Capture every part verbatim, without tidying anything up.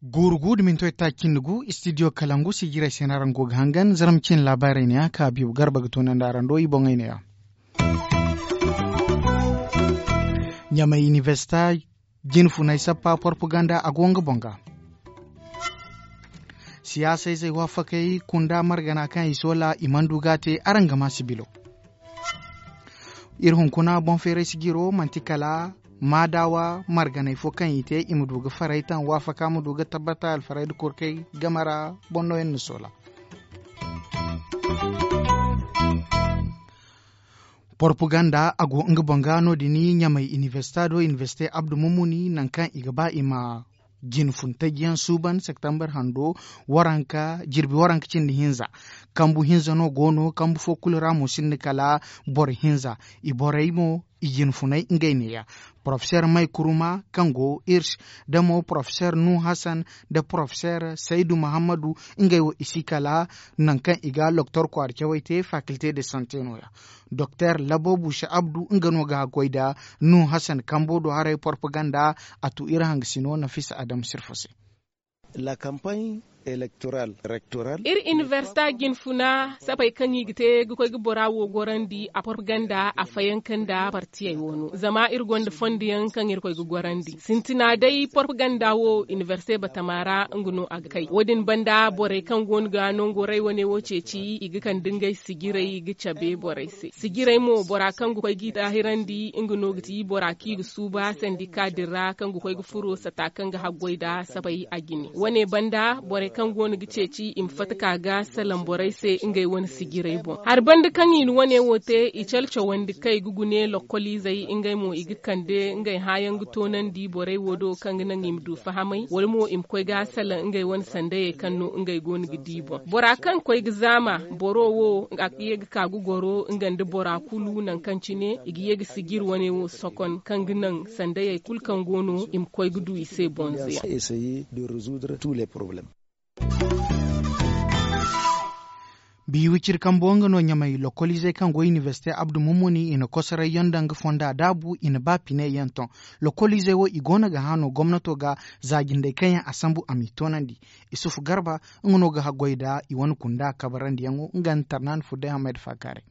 Guuru gu da minto itaacindi gu istidiyo kalangu sijirey se no araŋ go ga hangan zarma cine laabaarey ne ya ka biibu garba ga toonandi araŋ do i boŋey ne ya. Ɲamay inibersita jine funay sappa porpaganda a go nga boŋ ga. Siyaasa izey waafakey kunda margana kaŋ i soola i mana du ga a te araŋ ga ma sibilo. Iri hunkuna boŋ feeray sijiro manti kala maadawa marganay fo kaŋ i te i ma du ga faray taŋ waafaka ma du ga tabbata alfaray nda kurkey game ra boŋ no yaŋ na soola. Porpaganda a go nga boŋ ga no- din ɲamay inibersita do inibersite abdu mumuni nangu kaŋ i ga ba i ma jine fun taji yaŋ suuban septembar hando waranka jirbi waranka cindi hinza. Kambu hinza no go no kambu fo kulu ra mo sinda kala boro hinza. I borey mo i jine funay ngey ne- ya porofeser may kuruma kaŋ go irsh da mo porofeser nuhu hassan da porofeser saydu muhammadu. Ngey wo i si kala nangu kaŋ i ga loktor kwaara cawey te fakilte de sante no- ya. Doktor labo buusa abdu nga no ga haggoy nda nuhu hassan kambo do haray porpaganda. A tu iri hangasino nafisa adam sirfo se. Iri inibersita jine funa sapey kaŋ i ga te ga koy ga bora wo gorandi a porpaganda a fayanka nda partiyey wo no zama iri gonda fondo yaŋ kaŋ iri koy ga gorandi sintina day porpaganda wo inibersite batama ra nga no a ga kay wo- din banda borey kaŋ go no ga nango ray wane wo ceeci i ga kande ngey sijirey i ga cabe borey se sijirey mo bora kaŋ ga koy g'i daahirandi nga no ga ti bora kaŋ i ga suuba sandika din ra kaŋ ga koy ga furo sata kaŋ ga haggoy nda sapey a jine wane banda borey kaŋ go no ga ceeci i ma fatta ka ga salaŋ borey se ngey wane sijirey boŋ hari banda kaŋ i na wane wo te i cale cawandi kay ga gune lokkoliizey ngey mo i ga kande ngey hãayaŋ ga toonandi borey wo do kaŋ ga naŋ i ma du fahamay wala mo i ma koy ga salaŋ ngey wane sandayey kaŋ no ngey go no ga di boŋ bora kaŋ koy ga zaama boro wo a ga ye ga ka ga goro nga nda bora kulu nangu kaŋ cine i ga ye ga sijiri wane wo sokon kaŋ ga naŋ sandayey kulu kaŋ go no i ma koy ga du i se bonzo yaŋ. Biiwiciri kambo nga no ɲamay lokoliizey kaŋ go inibersite abdu mummuni i na kosoray yaŋ daŋ ga fonda daabu i na ba pine yaŋ ton. Lokoliizey wo i go no ga hã no gomnato ga za jindey kaŋ yaŋ a sambu a m'i toonandi. Isufu garba nga no ga haggoy nda i wane kunda kabarandiyaŋo nga nda tarnaani furday hamayda faakaaray.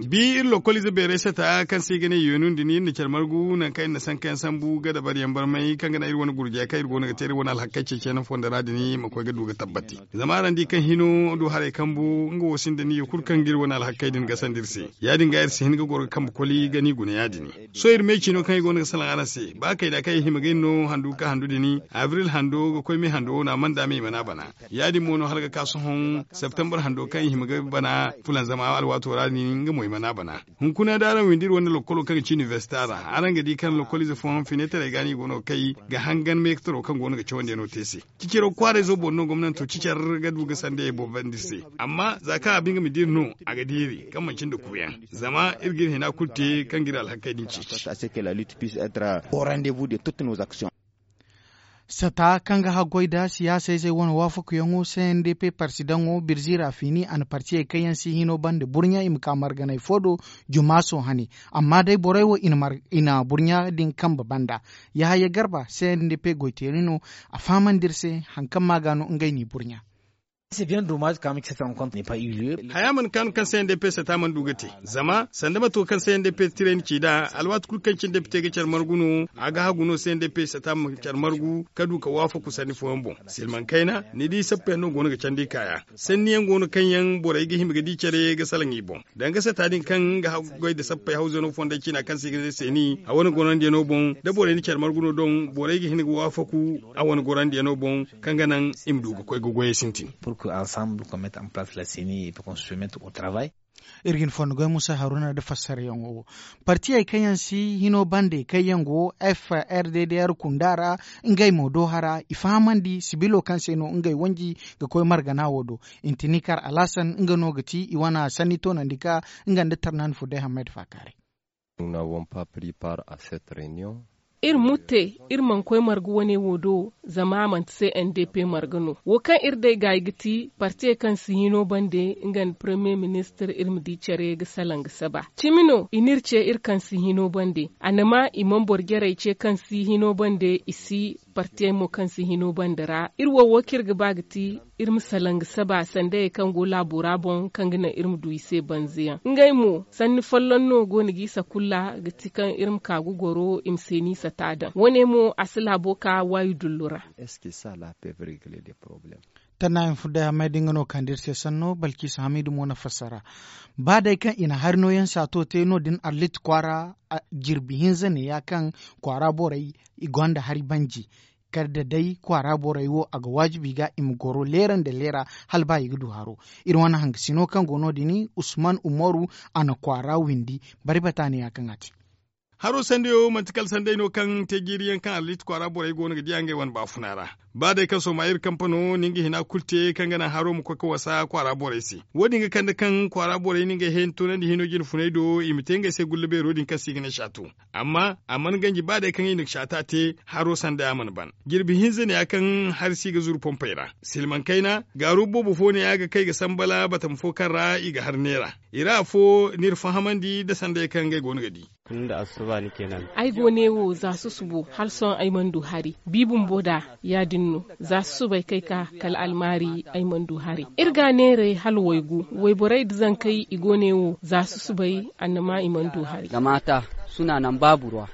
Bi iri lokoliize beeray sata kaŋ se i ga ne yeenun din iri na care margu nangu kaŋ iri na sanka yaŋ sambu ga dabari yaŋ barmay kaŋ ga naŋ iri wane gurjey kaŋ iri go no ga te iri wane alhakkey ceeciyaŋ fondo ra din ma koy ga du ga tabbati. Zama araŋ di kaŋ hino du haray kambu nga wo sinda niyo kulu kaŋ ga iri wane alhakkey din gasandi iri se ya- din ga iri si hin ga goro ga kambe koli ga ni guna ya- din. Sohõ iri me ciino kaŋ i go no ga salaŋ araŋ se ba kayna kaŋ i hima ga iri no handu ga ka handu din abril hando ga koy me hando wo no a mana daama i mana bana. Ya- din mo no hala ga ka sohõ septembar hando kaŋ i hima ga bana fulanzama alwaato ra din nga mo i mana bana. Hunkuna da araŋ windi iri wane lokkolo kaŋ ga ci inibersita ra araŋ ga di kaŋ lokkoliize fooyaŋ fineetaray ga no i go no ga kay ga hangan meekataro kaŋ go no ga cawandiyaŋo te se. Cicaro kwaarayzo boŋ no gomnanto cicar ga du ga sandayey boobandi iri se. Amma za kaŋ a ba nga ma di iri no a ga di iri kaŋ manci nda kuuyaŋ zama iri ga iri hina kulu te kaŋ ga iri alhakkey din ceeci. Sata kaŋ ga haggoy nda siyaasa izey wane waafakuyaŋo c n d p parti daŋo birzi ra fiini a na partiyey kaŋ yaŋ si hino bande burɲa i ma ka marganay fo do jumaaso hane. Amma day borey wo i na burɲa din kambe banda. Yahaya garba c n d p goyteeri no. A fahamandi iri se hari kaŋ ma ga no ngey n'i burɲa. Haya mana kaanu kaŋ c n d p sata mana du ga te. Zama sanda mato kaŋ c n d p tiray na ci nd'a alwaati kulu kaŋ cine depite ga care margu no a ga hagu no c n d p sata ma care margu ka du ka waafaku sanni fooyaŋ boŋ. Silmaŋ kayna ni di sappa yaŋ no go no ga candi kaaya. Sanni yaŋ go no kaŋ yaŋ borey ga hima ga di care ga salaŋ i boŋ. Danga sata din kaŋ ga haggoy nda sappey hawzano fonday ciina kaŋ se i ga ne seeni a wane gorandiyaŋo boŋ da borey na care margu no doŋ borey ga hin ga waafaku a wane gorandiyaŋo boŋ kaŋ ga naŋ i ma du ga koy ga goyey sintin. Iri ga ni fondo goy musa haruna nda fassarayaŋo wo. Partiyey kaŋ yaŋ si hino bande kaŋ yaŋ go f r d d r kunda ra ngey mo do hara i fahamandi sibilo kaŋ se no ngey wanji ga koy margana wo do. Intini kar alhasan nga no ga ti i wane sanni toonandi ka nga nda tarnaani furday hammay da faakaaray. Iri mutte, iri mana koy marga wane wo do, zama a manti se n d p marga no. Wo kaŋ iri day gaayi ga ti, partiyey kaŋ si hino bande nga nda paremiye ministir, iri ma di care ga salaŋ ga saba. Cimi no i n'iri ce iri kaŋ si hino bande. A na ma i mana boro jarey ce kaŋ si hino bande, i si partiyey mo kaŋ si hino bande ra. Iri wo wo kaŋ iri ga ba ga ti, iri ma salaŋ ga saba sandayey kaŋ go laabo ra boŋ, kaŋ ga naŋ iri ma du i se banza yaŋ. Ngey mo, sanni folloŋ no go no g'i sakulla, ga ti kaŋ iri ma ka ga goro i ma se n'i sata daŋ. Wo- ne mo, a si laabo ka waayi dullu ra. Tana info day a may da nga no kande iri se sanno balkisa hamidu mo na fassara. Ba day kaŋ i na hari nooyaŋ saato te no- din arlit kwaara, jirbi hinza neeya kaŋ kwaara borey i gonda hari banji. Kala da day kwaara borey wo a ga waajibi ga i ma goro leera nda leera, hala ba i ga du haro. Iri wane hangasino kaŋ go no- din, usman umaru, a na kwaara windi. Bari bata neeya kaŋ a te. Haro sandayo manti kala sanday no kaŋ te jiiri yaŋ kaŋ arlit kwaara borey go no ga diya ngey wane baafuna ra. Ba day kaŋ sohõ ma iri kampano na nga hina kulu te kaŋ ga naŋ haro ma koy ga wasa kwaara borey se. Wo- din ga kande kaŋ kwaara borey na ngey heen toonandi hino jine funay do i ma te ngey se gulla beero din kaŋ se i ga ne saato. Amma a mana ganji ba day kaŋ i na saato te, haro sandaya mana ban. Jirbi hinza neeya kaŋ hari si ga zuru pompey ra. Silmaŋ kayna, gaaru boobo fo neeya ga kay ga sambala batama fo kaŋ ra i ga hari neera. I ra afo n'iri fahamandi nda sandayey kaŋ ngey go no ga di. Ay go ne wo za susubo hala sohõ ay mana du hari. Bi bumbo da, ya- din no. Za susubay kay ka kala almaari, ay mana du hari. Iri ga a neeray hala waygu. Wayborey nda zankey i go ne wo za susubay, annama i mana du hari.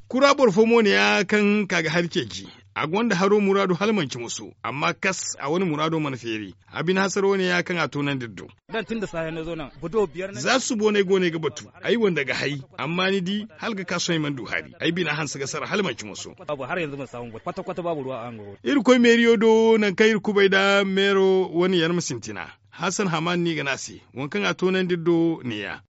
Kura boro fo mo neeya kaŋ ka ga hari ceeci. A gonda haro muraadu hala manci moso, amma kas a wane muraado mana feeri. A bine hasaro neeya kaŋ a toonandi iri do. Za susubo no ay go no ay ga batu. Ay wanda ga hay. Amma ni di, hala ga ka sohõ ay mana du hari. Ay bina hanse ga sara hala manci moso. Iri koy meeriyo do nangu kaŋ iri kubay nda meero wane yarma sintina. Hasan haman no i ga ne a se. Waŋ kaŋ a toonandi iri do neeya.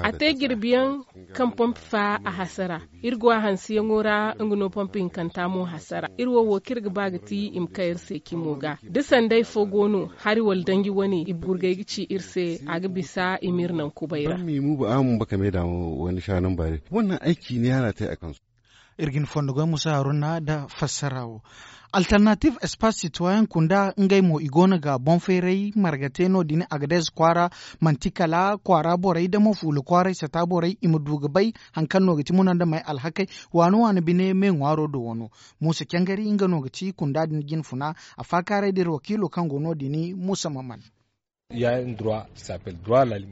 A te jirbiyaŋ kaŋ pompi fa a hasara. Iri go a hanseyaŋo ra, nga no pompi hinkanta mo hasara. Iri wo wo kaŋ iri ga ba ga ti i ma kay iri se cimo ga. Da sanday fo go no, hari wala danji wane i gurgay ga ci iri se, a ga bisa i m'iri naŋ kubay ra. Boro ma i mu ba a ma bakame da wani shanan bare. Wannan aiki ne ana ta a kansu. Iri ga ni fondo goy musa haruna nda fassara wo. Alternative espace citoyen kunda ngey mo i go no ga boŋ feeray marga te no- din agadez kwaara. Manti kala kwaara borey da mo fuula kwaaray sata borey i ma du ga bay. Hari kaŋ no ga ti muna nda may alhakey waano waano bine me ŋwaaro do wano. Muusa cangari nga no ga ti kunda din jine funa. A faakaaray da iri wakiilo kaŋ go no- din muusa maman.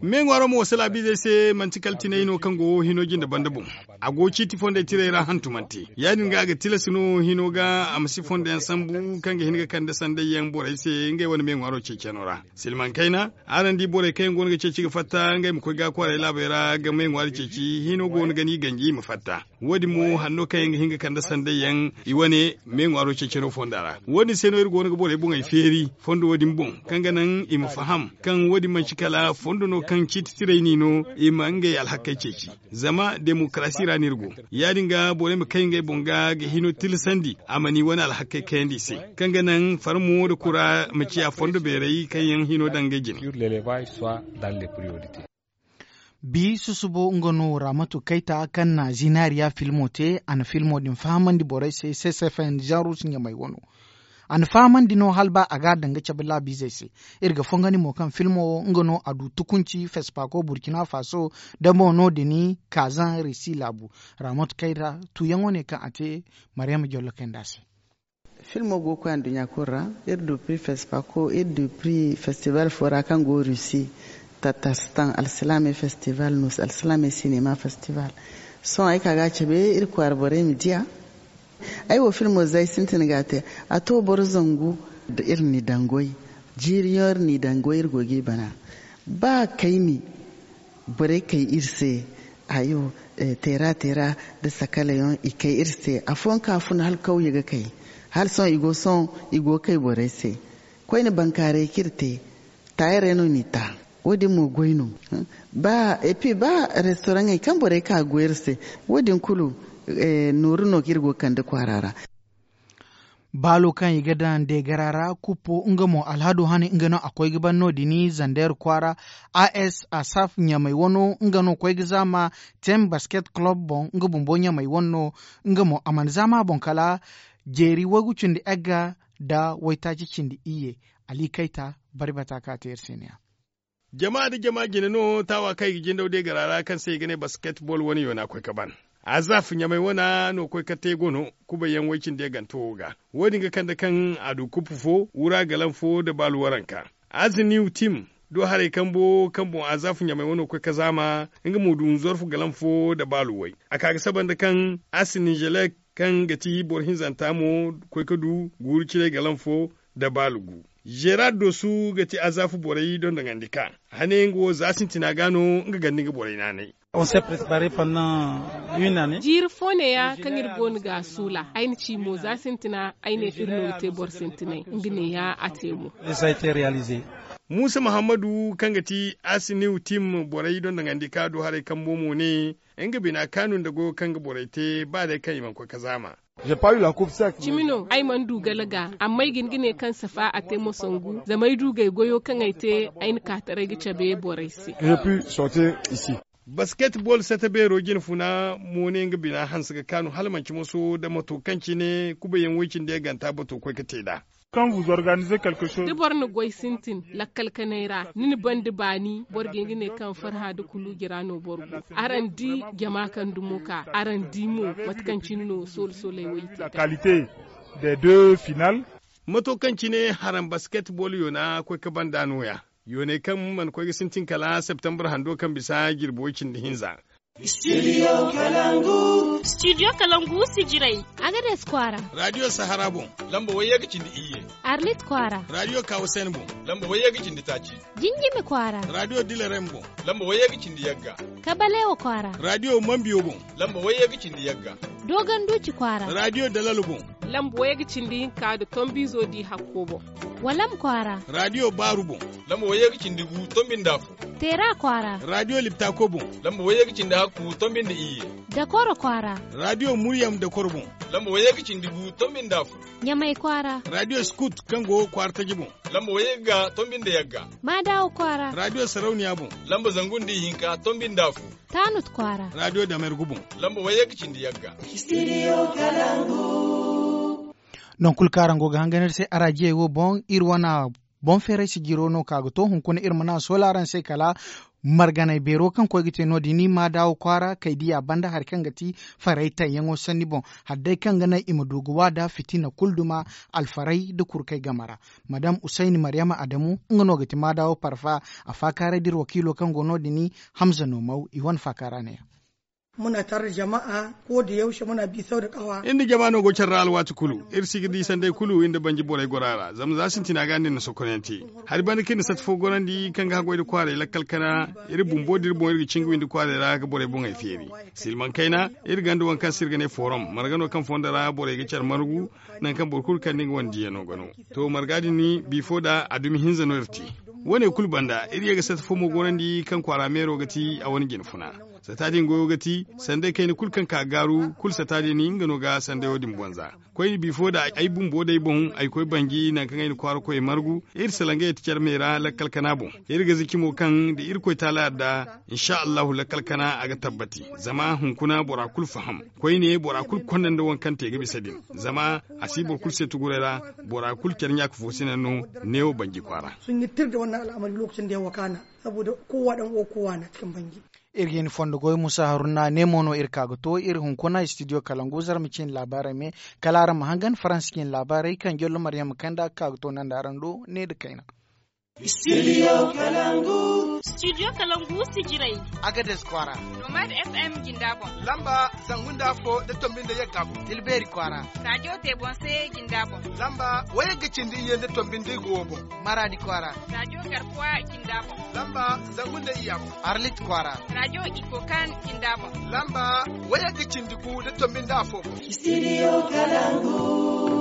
Me ŋwaaro ma wasa laabiizey se manti kala tinay no kaŋ go hino jinde banda boŋ. A go ciiti fondey tirey ra hantumante. Ya- din ga a ga tilas no hino ga a ma si fondo yaŋ sambu kaŋ ga hin ga kande sanday yaŋ borey se ngey wane me ŋwaaro ceeciyaŋo ra. Silmaŋ kayna, araŋ di borey kaŋ yaŋ go no ga ceeci ga fatta ngey ma koy ga kwaarey laabey ra ga me ŋwaari ceeci hino go no ga ni ganji i ma fatta. Wo- din mo hanno kaŋ yaŋ ga hin ga kande sanday yaŋ i wane me ŋwaaro ceeciyaŋo fonda ra. Wo- din se no iri go no ga borey boŋey feeri fondo wo- din boŋ, kaŋ ga naŋ i ma faham kaŋ wo- din manti kala fondo no kaŋ ciiti tirey n'i no i ma ngey alhakey ceeci. Zama demokarasi ra no iri go. Ya- din ga borey ma kay ngey boŋ ga ga hino tilasandi a ma ni wane alhakey kayandi i se, kaŋ ga naŋ farmo nda kura ma ciya fondo beerey kaŋ yaŋ hino daŋ ngey jine. Bi susubo nga no ramatu kayta kaŋ na zinaariya filmo te. A na filmo din fahamandi borey se ccfn janrus ɲamay wano. A na fahamandi no hala ba a ga a daŋ ga cabe laabiizey se. Iri ga fongandi mo kaŋ filmo wo nga no a du tukunci fespako burkina faso da mo no- din kaazaŋ risi laabu. Ramatu kayta tuuyaŋo ne kaŋ a te. Maryama jollo kay nd'a se. Filmo go ga koy anduɲɲa kulu ra. Iri du pri fespako, iri du pri festival fo ra kaŋ go rusi, tatarstan alsilaamey festival, nus alsilaamey sinema festival. Sohõ ay ka ga a cabe iri kwaara borey ma diya. Ay wo filmo za ay sintin ga a te. A to boro zangu nda iri n'i daŋ goy. Jiiriyaŋo iri n'i daŋ goy iri go g'i bana. Ba kayni borey kay iri se. Hayo, teera teera nda sakala yaŋ i kay iri se. Afooyaŋ kaŋ a fun hala kawye ga kay. Hala sohõ i go sohõ i go ga kay borey se. Koyne bankaaray kaŋ iri te, taayarey no n'i ta. Wo- din mo goy no. Ba epi ba restoraŋey kaŋ borey ka ga goy iri se, wo- din kulu nooru no kaŋ iri go ga kande kwaara ra. Baalo kaŋ i ga daŋ deegara ra kuppo nga mo alhado hane nga no a koy ga ban no- din zandeer kwaara. As asaf ɲamay wano nga no koy ga zaama. Tem basket club boŋ nga bumbo ɲamay wane no. Nga mo a mana zaama a boŋ kala jeeri waygu cindi egga nda waytaaci cindi iyye. Ali kayta bari bata kaŋ a te iri se ne- ya. Jama nda jama jine no taawa kaŋ i ga jindaw deegara ra kaŋ se i ga ne basketbol wane yoona koy ga ban. Azaf ɲamay wana no koy ga te gono kubayyaŋ way cindi yagganto wo ga. Wo- din ga kande kaŋ a du kuppu fo wura galam fo nda baalu waranka. Aziniw tim do haray kambo kaŋ boŋ azaf ɲamay wano koy ga zaama. Nga mo du nzorfu galam fo nda baalu way. A ka ga saba nda kaŋ asinizelek kaŋ ga ti boro hinzanta mo koy ga du guuru ciray galam fo nda baalu gu. Gerard dosu ga ti azafu borey dondoŋandi ka hane nga wo za sintina ga no nga ganda nga borey naanay. Jiiri fo neeya kaŋ iri go no ga a suula ay na ci mo za sintina ay ne iri no ga te boro sintinay. Nga neeya a te mo. Muusa muhammadu kaŋ ga ti asiniw tim borey dondoŋandi ka du haray kambo mo ne nga bina kaanu nda goyo kaŋ ga borey te ba day kaŋ i mana koy ga zaama. Cimi no ay mana du gala ga amma ay ga hin ga ne kaŋ safa a te mo sangu zama ay du ga ay goyo kaŋ ay te ay na ka taray ga cabe borey se. Basketbol sata beero jinfuna mo ne nga bina hanse ga kaanu hala manci moso nda mato kaŋ cine kubayaŋ way cindi yaganta bato koy ga te nd'a. Da boro na goy sintin lakkal kanay ra ni na banda baani boro ga hin ga ne kaŋ farha nda kuluuji ra no boro go. Araŋ di jama kaŋ dumo ka araŋ di mo mate kaŋ cine no soolo sooley wo i te. Mato kaŋ cine haraŋ basketbol yoona koy ga banda no- ya yooney kaŋ mana koy ga sintin kala septembre hando kaŋ bisa jirbi way cindi hinza. Studio kalangu sijirey. Agades kwaara. Radiyo sahara boŋ lamba wayye ga cindi iyye. Arlit kwaara. Radiyo kawusen boŋ lamba wayye ga cindi taaci. Jinjimi kwaara. Radiyo dilarem boŋ lamba wayye ga cindi yagga. Kabalewa kwaara. Radiyo mambiyo boŋ lamba wayye ga cindi yagga. Dogon duuci kwaara. Radiyo dalal boŋ lamba wayye ga cindi hinka nda tombizo di hakko boŋ. Walam kwaara. Radiyo baaru boŋ lamba wayye ga cindi gu tombi nda afo. Teera kwaara. Radiyo liptako boŋ lamba wayye ga cindi hakku tombi nda iyye. Dakoro kwaara. Radiyo muryam dakoro boŋ lamba wayye ga cindi gu tombi nda afo. Ɲamay kwaara. Radiyo skut kaŋ go kwaara taji boŋ lamba wayye ga tombi nda yagga. Maadawo kwaara. Radiyo sarauniya boŋ lamba zangu nda ihinka tombi nda afo. Taanut kwaara. Radiyo damergu boŋ lamba wayye ga cindi yagga. Nangu kulu kaŋ araŋ go ga hangan iri se araajiyey wo boŋ iri wane boŋ feeray sijiro no ka ga to hunkuna iri mana a soola araŋ se kala marganay beero kaŋ koy ga te no- din maadawo kwaara kay diya banda hari kaŋ ga ti faray tayyaŋo sanni boŋ. Hari day kaŋ ga naŋ i ma du ga waada fitina kulu duma alfaray nda kurkey game ra. Madam usayni maryama adamu nga no ga ti maadawo parfa. A faakaaray da iri wakiilo kaŋ go no- din hamza no maw i wane faakaara ne. Muna tare da jama'a ko da yaushe muna bi sau da kawa. Iri nda jama no go care ra alwaati kulu iri si ga di sanday kulu iri nda banji borey goro a ra zama za sintina ga no iri na sokonayaŋ te. Hari banda kaŋ iri na sata fo gorandi kaŋ ga haggoy nda kwaaray lakkal kana iri bumbo da iri boŋ iri ga cinga windi kwaaray ra ga borey boŋey feeri. Silmaŋ kayna iri gonda waŋ kaŋ se iri ga ne forom marga no kaŋ fondo ra borey ga care margu. Nangu kaŋ boro kulu kande nga wane diyano ga no. To marga din bifo nda a dumi hinza no iri te. Wo- ne kulu banda iri ye ga sata fo mo gorandi kaŋ kwaara meero ga ti a wane jinfuna. Sata din goyo ga ti sanday kayna kulu kaŋ ka gaaru kulu sata din nga no ga sandayo din bonza. Koyne bifo nda ay bumbo day boŋ ay koy banji nangu kaŋ ay na kwaara koyey margu. Iri salaŋ ga yeti care me ra lakkal kana boŋ. Iri ga ziki mo kaŋ da irkoy taala yadda insa allahu lakkal kana a ga tabbati. Zama hunkuna bora kulu faham. Koyne bora kulu konda nda waŋ kaŋ te ga bisa din. Zama a si boro kulu se tuguray ra. Bora kulu care ɲaaka fo sina no. Neewo banji kwaara. Sun yittir da wannan al'amari lokacin da ya wakana. Saboda kowa dan uwa kowa na cikin bangi. Iri ga hin fondo goy musa haruna ne mo no iri ka ga to iri hunkuna studio kalangu zarma ciine laabaarey me. Kala araŋ ma hangan faransa ciine laabaarey kaŋ jollo maryama kanda ga ka ga to nanda araŋ do ne nda kayna. Studio kalangu sijirey. Agades kwaara. Nomad fm jinda boŋ. Lamba zangu nda afo nda tombi nda yagga boŋ tilbeeri kwaara. Radiyo tebonse jinda boŋ. Lamba wayagga cindi iyye nda tombi nda igo boŋ. Maradi kwaara. Radiyo garkuwa jinda boŋ. Lamba zangu nda iyya boŋ. Arlit kwaara. Radiyo ikokan jinda boŋ. Lamba wayagga cindi gu nda tombi nda afo boŋ. Studio kalangu.